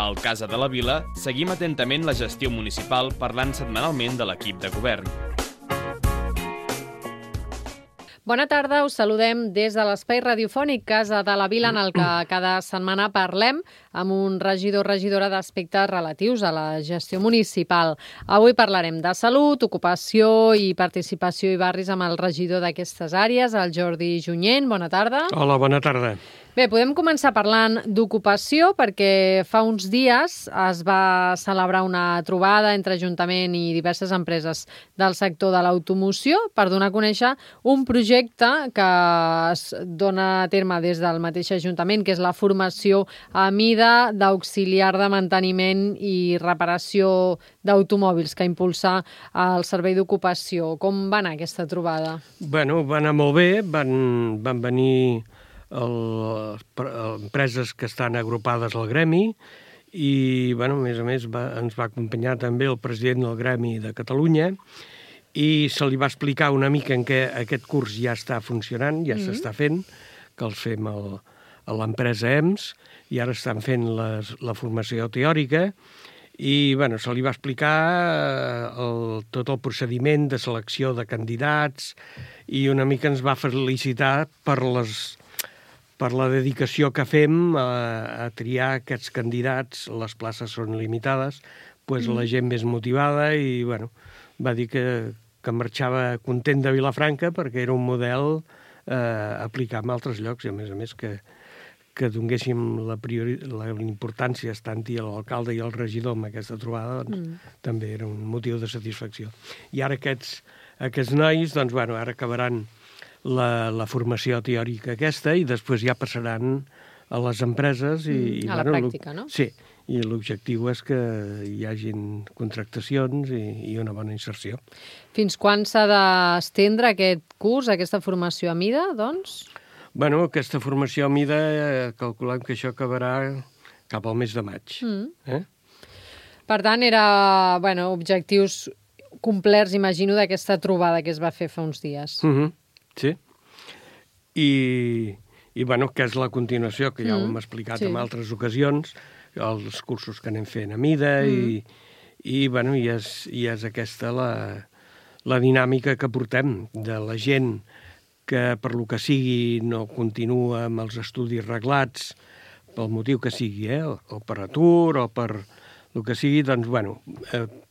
Al Casa de la Vila seguim atentament la gestió municipal parlant setmanalment de l'equip de govern. Bona tarda, us saludem des de l'espai radiofònic Casa de la Vila, en el que cada setmana parlem amb un regidor o regidora d'aspectes relatius a la gestió municipal. Avui parlarem de salut, ocupació i participació i barris amb el regidor d'aquestes àrees, el Jordi Junyent. Bona tarda. Hola, bona tarda. Bé, podem començar parlant d'ocupació perquè fa uns dies es va celebrar una trobada entre Ajuntament i diverses empreses del sector de l'automoció per donar a conèixer un projecte que es dona a terme des del mateix Ajuntament, que és la formació a mida d'auxiliar de manteniment i reparació d'automòbils que impulsa el Servei d'Ocupació. Com va anar aquesta trobada? Bueno, va anar molt bé, van venir empreses que estan agrupades al gremi i, bueno, a més, ens va acompanyar també el president del Gremi de Catalunya i se li va explicar una mica en què aquest curs ja està funcionant, ja s'està fent, que els fem a l'empresa EMS i ara estan fent la formació teòrica i, bueno, se li va explicar tot el procediment de selecció de candidats i una mica ens va felicitar per la dedicació que fem a triar aquests candidats. Les places són limitades, doncs la gent més motivada i, bueno, va dir que marxava content de Vilafranca perquè era un model a aplicar en altres llocs i, a més, que donéssim la importància tant a l'alcalde i al regidor amb aquesta trobada, doncs, també era un motiu de satisfacció. I ara aquests nois, doncs, bueno, ara acabaran la formació teòrica aquesta i després ja passaran a les empreses i a la pràctica, no? Sí, i l'objectiu és que hi hagin contractacions i una bona inserció. Fins quan s'ha d'estendre aquest curs, aquesta formació a mida, doncs? Bueno, aquesta formació a mida calculem que això acabarà cap al mes de maig. Per tant, era, bueno, objectius complerts, imagino, d'aquesta trobada que es va fer fa uns dies. Sí, i bueno, que és la continuació, que ja ho hem explicat en altres ocasions, els cursos que anem fent a mida i bueno, i és aquesta la dinàmica que portem de la gent que per lo que sigui no continua amb els estudis reglats, pel motiu que sigui, o per atur o per el que sigui, doncs, bueno,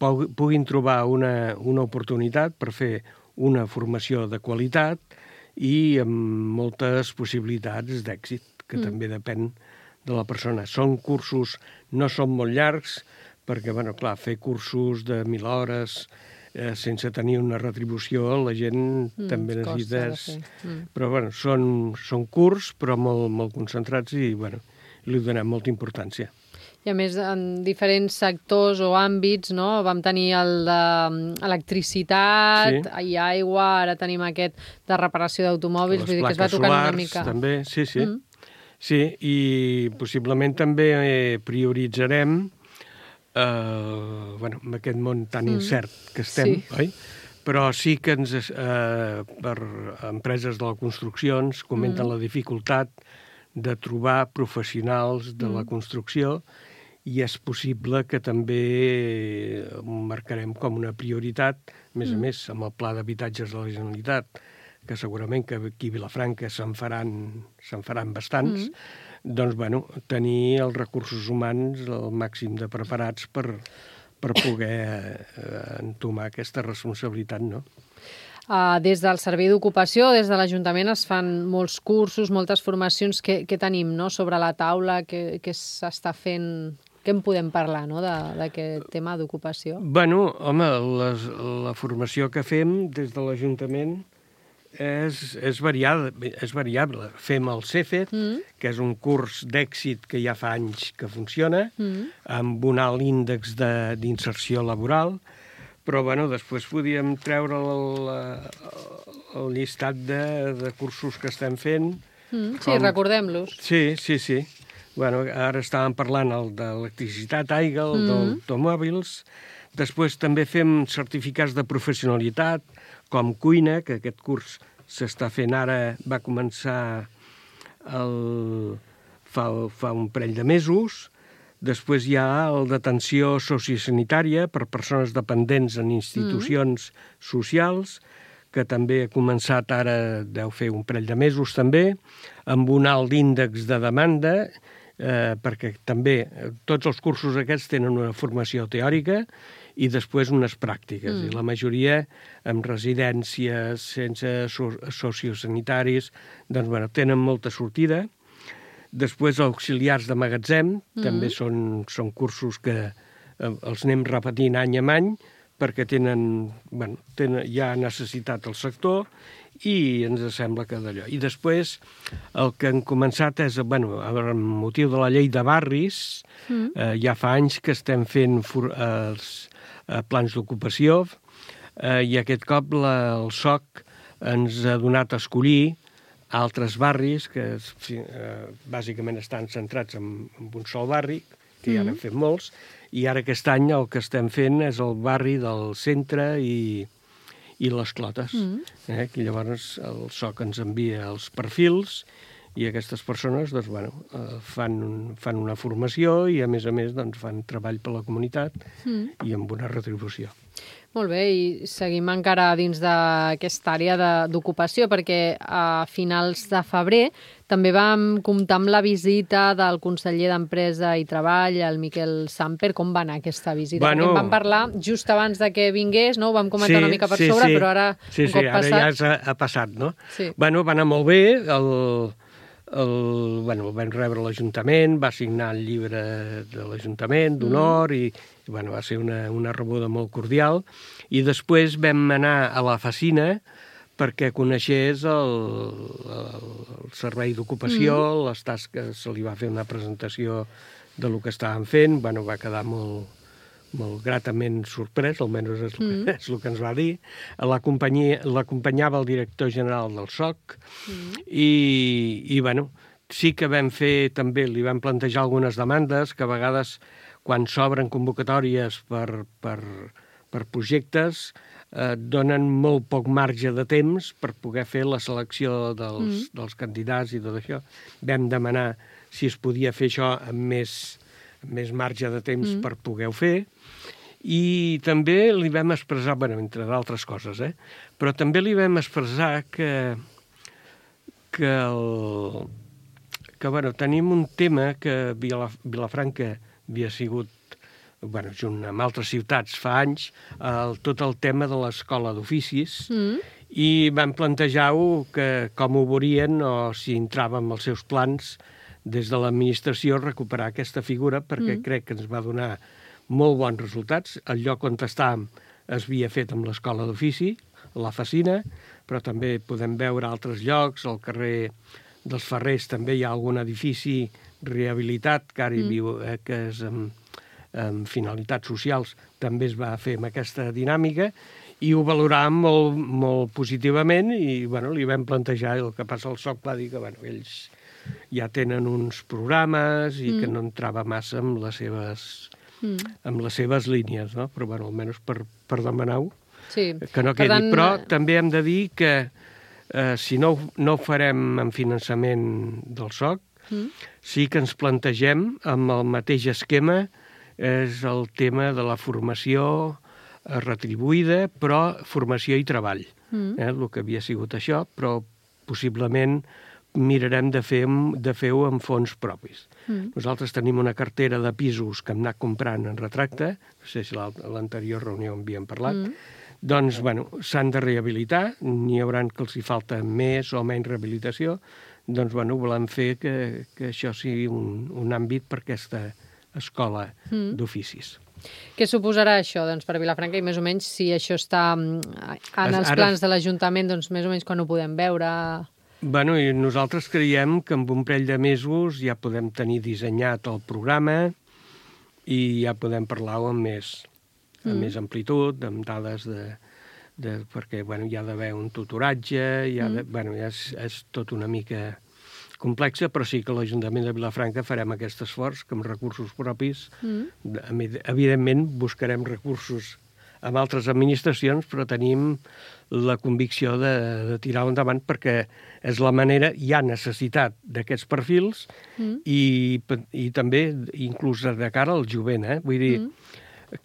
puguin trobar una oportunitat per fer una formació de qualitat i amb moltes possibilitats d'èxit, que també depèn de la persona. Són cursos, no són molt llargs, perquè, bueno, clar, fer cursos de 1.000 hores sense tenir una retribució, la gent també necessita... Però, bueno, són curts, però molt concentrats i, bueno, li donem molta importància. I a més, en diferents sectors o àmbits, no? Vam tenir el d'electricitat i aigua, ara tenim aquest de reparació d'automòbils, vull dir que es va tocant una mica. També, sí. Sí, i possiblement també prioritzarem, amb aquest món tan incert que estem, oi? Però sí que per empreses de la construcció ens comenten la dificultat de trobar professionals de la construcció i és possible que també ho marcarem com una prioritat, a més, amb el Pla d'Habitatges de la Generalitat, que segurament que aquí a Vilafranca se'n faran bastants, doncs, bueno, tenir els recursos humans el màxim de preparats per poder entomar aquesta responsabilitat, no? Des del Servei d'Ocupació, des de l'Ajuntament, es fan molts cursos, moltes formacions. Què tenim, no?, sobre la taula, què s'està fent? Què en podem parlar, no?, d'aquest tema d'ocupació? Bueno, home, la formació que fem des de l'Ajuntament és variable. Fem el CEFET, que és un curs d'èxit que ja fa anys que funciona, amb un alt índex d'inserció laboral, però, bueno, després podíem treure el llistat de cursos que estem fent. Sí, recordem-los. Sí. Bueno, ara estàvem parlant d'electricitat, aigua, d'automòbils. Després també fem certificats de professionalitat, com cuina, que aquest curs s'està fent ara, va començar fa un parell de mesos. Després hi ha el d'atenció sociosanitària per persones dependents en institucions socials, que també ha començat ara, deu fer un parell de mesos també, amb un alt índex de demanda, perquè també tots els cursos aquests tenen una formació teòrica i després unes pràctiques. I la majoria amb residències, sense sociosanitaris, doncs, bueno, tenen molta sortida. Després, auxiliars de magatzem, també són cursos que els anem repetint any en any, perquè tenen ja necessitat el sector i ens sembla que d'allò. I després, el que hem començat és, amb motiu de la llei de barris, ja fa anys que estem fent plans d'ocupació i aquest cop el SOC ens ha donat a escollir altres barris que bàsicament estan centrats en un sol barri, que ja n'hem fet molts, i ara aquest any el que estem fent és el barri del centre i les Clotes. Que llavors el SOC ens envia els perfils i aquestes persones fan una formació i a més fan treball per la comunitat i amb una retribució. Molt bé, i seguim encara dins d'aquesta àrea d'ocupació, perquè a finals de febrer també vam comptar amb la visita del conseller d'Empresa i Treball, el Miquel Samper. Com va anar aquesta visita? Perquè en vam parlar just abans de que vingués, no? Ho vam comentar una mica per sobre, però ara un cop passat... Ara ja ha passat, no? Sí. Va anar molt bé, el vam rebre a l'Ajuntament, va signar el llibre de l'Ajuntament d'honor i va ser una rebuda molt cordial. I després vam anar a la Facina perquè coneixés el servei d'ocupació, les tasques, se li va fer una presentació del que estàvem fent, va quedar molt gratament sorprès, almenys és el que ens va dir. L'acompanyava el director general del SOC i sí que vam fer també, li vam plantejar algunes demandes que a vegades quan s'obren convocatòries per projectes donen molt poc marge de temps per poder fer la selecció dels candidats i tot això. Vam demanar si es podia fer això amb més marge de temps per poder-ho fer. I també li vam expressar, entre d'altres coses, però també li vam expressar que tenim un tema que Vilafranca havia sigut, junt amb altres ciutats fa anys, tot el tema de l'escola d'oficis, i vam plantejar-ho com ho veurien o si entrava en els seus plans des de l'administració recuperar aquesta figura, perquè crec que ens va donar molt bons resultats. El lloc on estàvem es havia fet amb l'escola d'ofici, la Facina, però també podem veure altres llocs, al carrer dels Ferrers també hi ha algun edifici rehabilitat que ara hi viu, que és amb finalitats socials, també es va fer amb aquesta dinàmica i ho valoràvem molt, molt positivament i li vam plantejar. El que passa al SOC va dir que ells ja tenen uns programes i que no entrava massa amb les seves línies, no? Però almenys per demanar-ho, que no quedi. Però també hem de dir que si no ho farem amb finançament del SOC, sí que ens plantegem amb el mateix esquema, és el tema de la formació retribuïda, però formació i treball. El que havia sigut això, però possiblement mirarem de fer-ho amb fons propis. Nosaltres tenim una cartera de pisos que hem anat comprant en retracte, no sé si a l'anterior reunió en havíem parlat, doncs, s'han de rehabilitar, n'hi haurà que els hi falta més o menys rehabilitació, doncs, volem fer que això sigui un àmbit per aquesta escola d'oficis. Què suposarà això per Vilafranca i més o menys si això està en els plans de l'Ajuntament, doncs més o menys quan ho podem veure? I nosaltres creiem que en un parell de mesos ja podem tenir dissenyat el programa i ja podem parlar-ho amb més amplitud, amb dades perquè hi ha d'haver un tutoratge, és tot una mica complexa, però sí que l'Ajuntament de Vilafranca farem aquest esforç que amb recursos propis, evidentment buscarem recursos amb altres administracions, però tenim la convicció de tirar-ho endavant perquè és la manera, hi ha necessitat d'aquests perfils i també inclús de cara al jovent, vull dir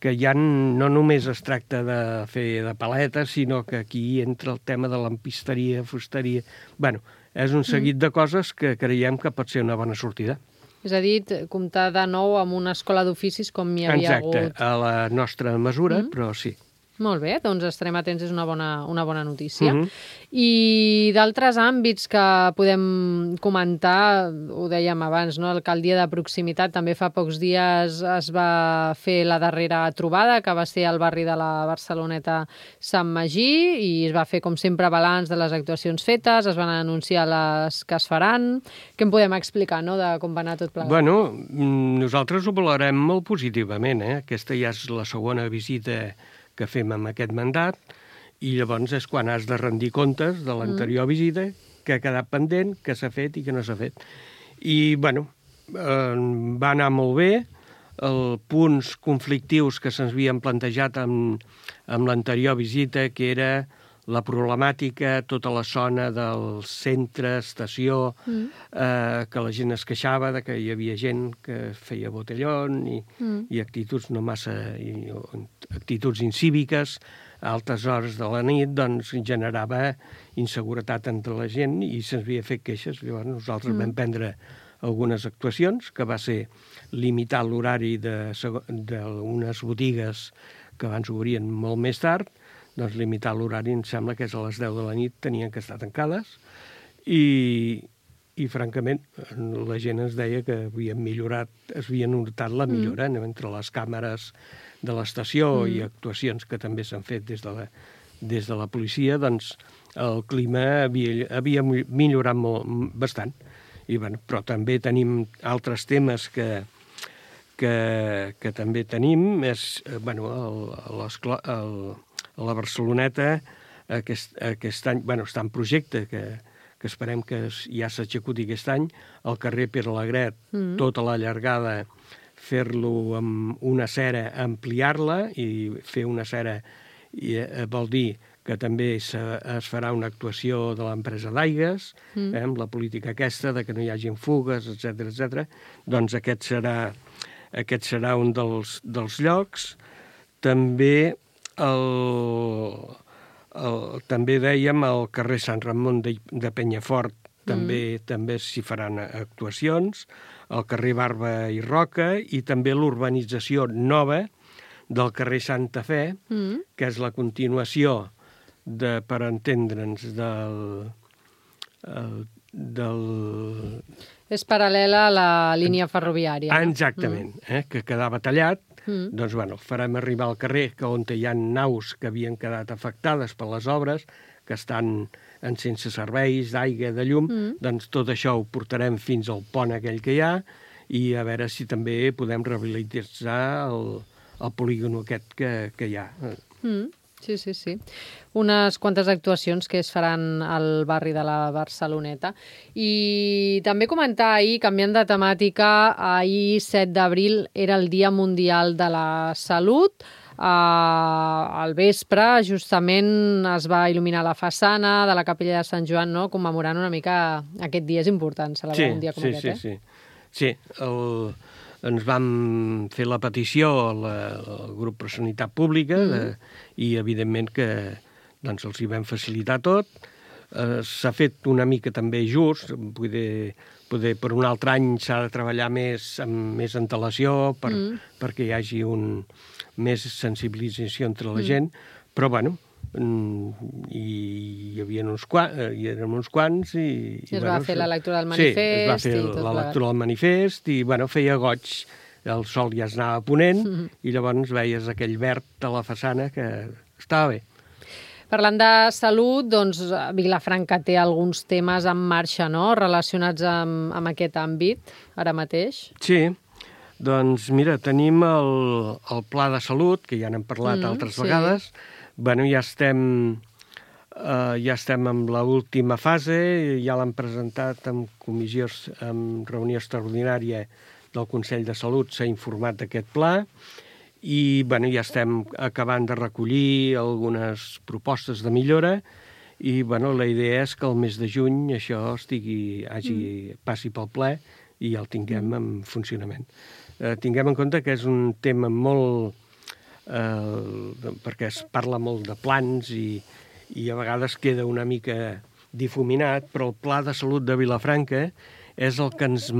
que ja no només es tracta de fer de paletes, sinó que aquí entra el tema de lampisteria, fusteria... Bueno, és un seguit de coses que creiem que pot ser una bona sortida. És a dir, comptar de nou amb una escola d'oficis com hi havia hagut. Exacte, a la nostra mesura, però sí. Molt bé, doncs estarem atents, és una bona notícia. I d'altres àmbits que podem comentar, ho dèiem abans, no? L'alcaldia de proximitat, també fa pocs dies es va fer la darrera trobada, que va ser al barri de la Barceloneta Sant Magí, i es va fer, com sempre, balanç de les actuacions fetes, es van anunciar les que es faran. Què en podem explicar, no?, de com va anar tot plegat? Bueno, nosaltres ho valorem molt positivament, Aquesta ja és la segona visita que fem amb aquest mandat, i llavors és quan has de rendir comptes de l'anterior visita, que ha quedat pendent, que s'ha fet i que no s'ha fet. I, bueno, va anar molt bé, els punts conflictius que se'ns havien plantejat amb l'anterior visita, que era la problemàtica, tota la zona del centre, estació, que la gent es queixava de que hi havia gent que feia botellón i actituds no massa... actituds incíviques, a altes hores de la nit, doncs generava inseguretat entre la gent i se'ns havia fet queixes. Llavors nosaltres vam prendre algunes actuacions, que va ser limitar l'horari d'unes botigues que abans obrien molt més tard, doncs limitar l'horari, em sembla que és a les 10 de la nit, tenien que estar tancades, i francament la gent ens deia que havien millorat, es havia notat la millora entre les càmeres de l'estació i actuacions que també s'han fet des de la policia, doncs el clima havia millorat bastant. Però també tenim altres temes que també tenim, és, a la Barceloneta aquest any, està en projecte, que esperem que ja s'executi aquest any, al carrer Pere Alegret, tota la llargada, fer-lo amb una cera, ampliar-la i fer una cera vol dir que també es farà una actuació de l'empresa d'aigues, amb la política aquesta, de que no hi hagin fugues, etc. Doncs aquest serà un dels llocs. També també dèiem al carrer Sant Ramon de Penyafort també s'hi faran actuacions, al carrer Barba i Roca, i també l'urbanització nova del carrer Santa Fe, que és la continuació, per entendre'ns, És paral·lela a la línia ferroviària. Exactament, que quedava tallat. Doncs, farem arribar al carrer on hi ha naus que havien quedat afectades per les obres, que estan sense serveis d'aigua, de llum, doncs tot això ho portarem fins al pont aquell que hi ha i a veure si també podem rehabilitar el polígon aquest que hi ha. Sí. Unes quantes actuacions que es faran al barri de la Barceloneta. I també comentar ahir, canviant de temàtica, ahir 7 d'abril era el Dia Mundial de la Salut. Al vespre, justament, es va il·luminar la façana de la capella de Sant Joan, no?, commemorant una mica aquest dia. És important celebrar un dia com aquest, Sí, ens vam fer la petició al grup per Sanitat Pública i, evidentment, que els hi vam facilitar tot. S'ha fet una mica també just, poder per un altre any s'ha de treballar amb més antelació perquè hi hagi més sensibilització entre la gent, però, hi havia érem uns quants i es va fer la lectura del manifest. Sí, es va fer la lectura del manifest i, feia goig. El sol ja es anava ponent i llavors veies aquell verd a la façana que estava bé. Parlant de salut, doncs Vilafranca té alguns temes en marxa, no?, relacionats amb aquest àmbit, ara mateix. Sí, doncs mira, tenim el Pla de Salut, que ja n'hem parlat altres vegades. Ja estem en l'última fase, ja l'han presentat en reunió extraordinària del Consell de Salut, s'ha informat d'aquest pla i ja estem acabant de recollir algunes propostes de millora i la idea és que el mes de juny això passi pel ple i el tinguem en funcionament. Tinguem en compte que és un tema molt... perquè es parla molt de plans i a vegades queda una mica difuminat, però el Pla de Salut de Vilafranca és el que ens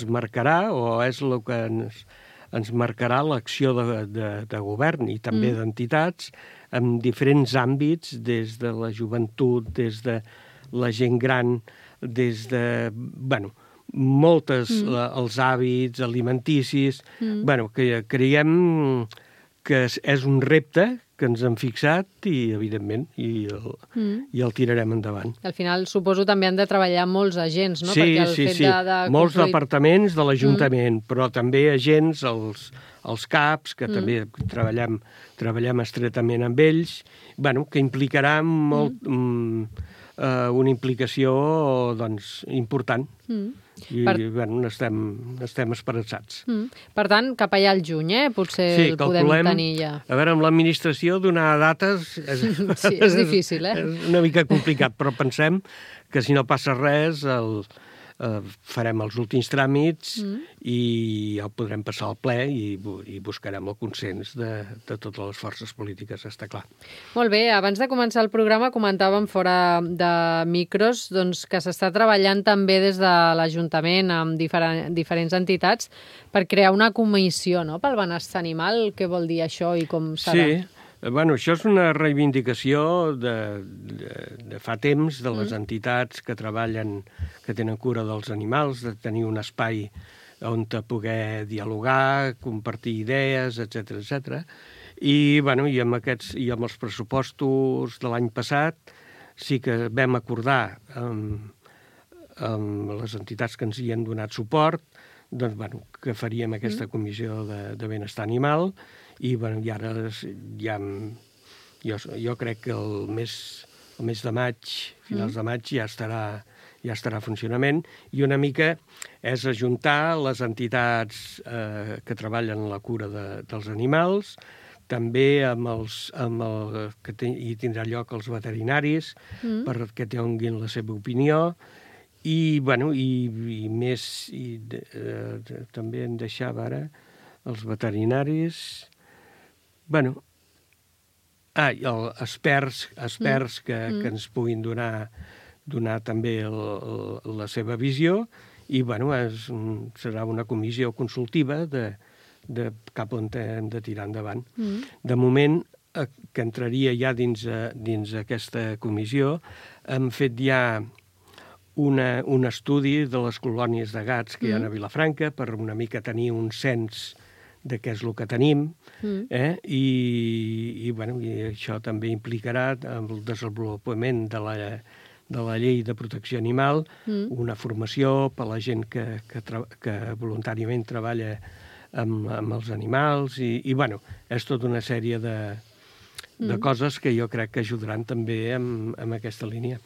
marcarà o és el que ens marcarà l'acció de govern i també d'entitats en diferents àmbits, des de la joventut, des de la gent gran, des de, moltes, els hàbits alimenticis, que creiem que és un repte que ens hem fixat i, evidentment, i el tirarem endavant. Al final, suposo, també han de treballar molts agents, no? Sí, molts departaments de l'Ajuntament, però també agents, els CAPs, que també treballem estretament amb ells, que implicarà una implicació important. I n'estem esperançats. Per tant, cap allà al juny, potser el podem tenir ja. A veure, amb l'administració donar dates sí, és difícil, és una mica complicat, però pensem que si no passa res farem els últims tràmits i el podrem passar al ple i buscarem el consens de totes les forces polítiques, està clar. Molt bé, abans de començar el programa comentàvem fora de micros que s'està treballant també des de l'Ajuntament amb diferents entitats per crear una comissió pel benestar animal. Què vol dir això i com serà? Sí. Això és una reivindicació de fa temps de les entitats que treballen, que tenen cura dels animals, de tenir un espai on poder dialogar, compartir idees, etc. I amb els pressupostos de l'any passat sí que vam acordar amb les entitats que ens hi han donat suport que faríem aquesta comissió de benestar animal. I ara jo crec que el mes de maig, finals de maig, ja estarà en funcionament i una mica és ajuntar les entitats que treballen en la cura dels animals, també hi tindrà lloc els veterinaris perquè tinguin la seva opinió i més també em deixava ara els veterinaris... experts que ens puguin donar també la seva visió i serà una comissió consultiva de cap on hem de tirar endavant. De moment, que entraria ja dins aquesta comissió, hem fet ja un estudi de les colònies de gats que hi ha a Vilafranca per una mica tenir un cens de què és el que tenim, i això també implicarà el desenvolupament de la llei de protecció animal, una formació per a la gent que voluntàriament treballa amb els animals, i és tota una sèrie de coses que jo crec que ajudaran també en aquesta línia.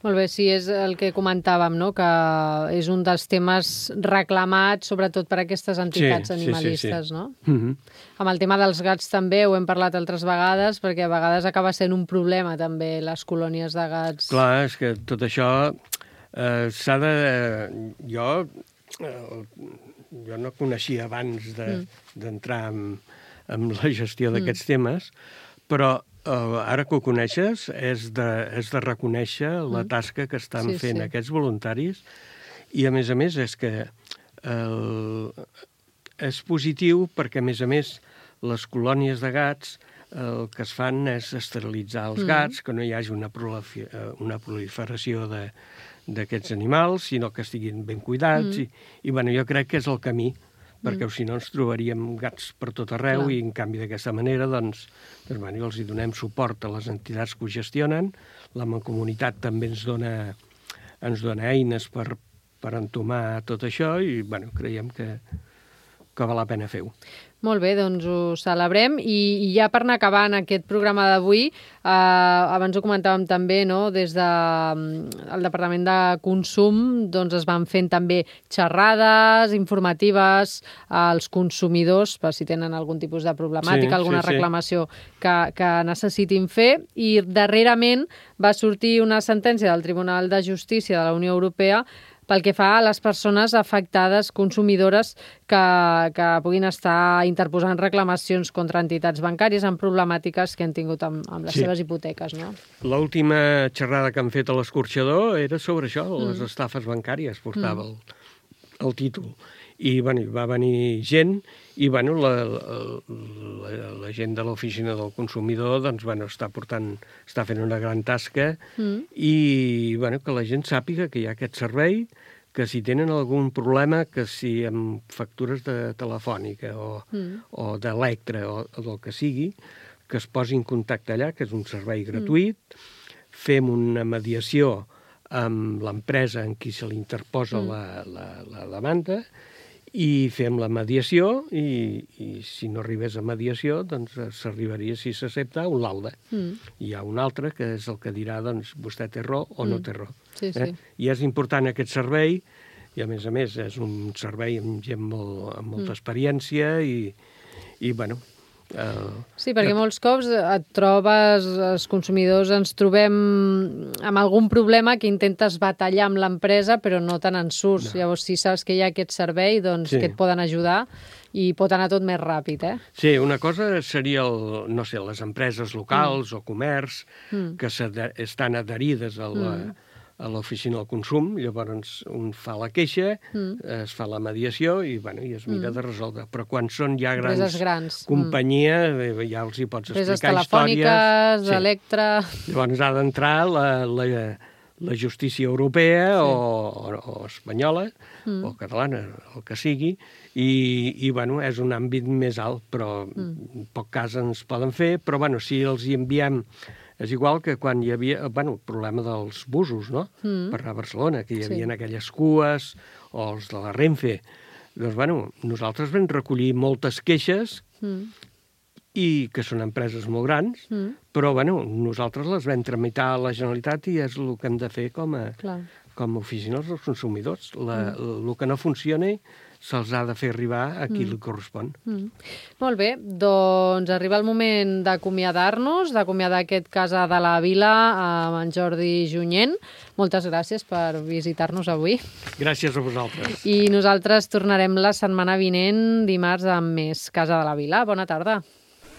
Molt bé, sí, és el que comentàvem, que és un dels temes reclamats, sobretot per aquestes entitats animalistes, no? Amb el tema dels gats també ho hem parlat altres vegades, perquè a vegades acaba sent un problema també les colònies de gats. Clar, és que tot això s'ha de... Jo no coneixia abans d'entrar en la gestió d'aquests temes, però ara que ho coneixes, és de reconèixer la tasca que estan fent aquests voluntaris i, a més, és que és positiu perquè, a més, les colònies de gats el que es fan és esterilitzar els gats, que no hi hagi una proliferació d'aquests animals, sinó que estiguin ben cuidats. I jo crec que és el camí, perquè si no ens trobaríem gats per tot arreu. Clar. I en canvi d'aquesta manera els hi donem suport a les entitats que ho gestionen, la Mancomunitat també ens dona eines per entomar tot això i creiem que que val la pena fer-ho. Molt bé, doncs ho celebrem. I ja per anar acabant aquest programa d'avui, abans ho comentàvem també, no? Des del Departament de Consum doncs es van fent també xerrades informatives als consumidors per si tenen algun tipus de problemàtica, alguna reclamació que necessitin fer. I darrerament va sortir una sentència del Tribunal de Justícia de la Unió Europea pel que fa a les persones afectades, consumidores, que puguin estar interposant reclamacions contra entitats bancàries amb problemàtiques que han tingut amb les seves hipoteques, no? L'última xerrada que han fet a l'Escorxador era sobre això, les estafes bancàries, portava el títol. I va venir gent i la gent de l'oficina del consumidor està fent una gran tasca i que la gent sàpiga que hi ha aquest servei, que si tenen algun problema, que si amb factures de telefònica o d'electre o del que sigui, que es posi en contacte allà, que és un servei gratuït, fem una mediació amb l'empresa en qui se li interposa la demanda i fem la mediació i si no arribés a mediació doncs s'arribaria, si s'accepta, a un laude. Hi ha un altre que és el que dirà vostè té raó o no té raó. I és important aquest servei i a més és un servei amb gent amb molta experiència i Sí, perquè molts cops et trobes, els consumidors ens trobem amb algun problema que intentes batallar amb l'empresa però no te n'en surts. Llavors, si saps que hi ha aquest servei, doncs que et poden ajudar i pot anar tot més ràpid, Sí, una cosa seria, les empreses locals o comerç que estan adherides a l'oficina del consum, llavors un fa la queixa, es fa la mediació i es mira de resoldre. Però quan són ja grans companyies, ja els hi pots explicar històries. Telefòniques, d'Electra... Llavors ha d'entrar la justícia europea o espanyola o catalana, el que sigui, i és un àmbit més alt, però en poc cas ens poden fer, però si els hi enviem... És igual que quan hi havia el problema dels busos, no? Per anar a Barcelona, que hi havia aquelles cues, o els de la Renfe. Doncs, nosaltres vam recollir moltes queixes, i que són empreses molt grans, però nosaltres les vam tramitar a la Generalitat i és el que hem de fer com a oficines dels consumidors. El que no funcioni se'ls ha de fer arribar a qui li correspon. Molt bé, doncs arriba el moment d'acomiadar-nos, d'acomiadar aquest Casa de la Vila amb en Jordi Junyent. Moltes gràcies per visitar-nos avui. Gràcies a vosaltres. I nosaltres tornarem la setmana vinent, dimarts, amb més Casa de la Vila. Bona tarda.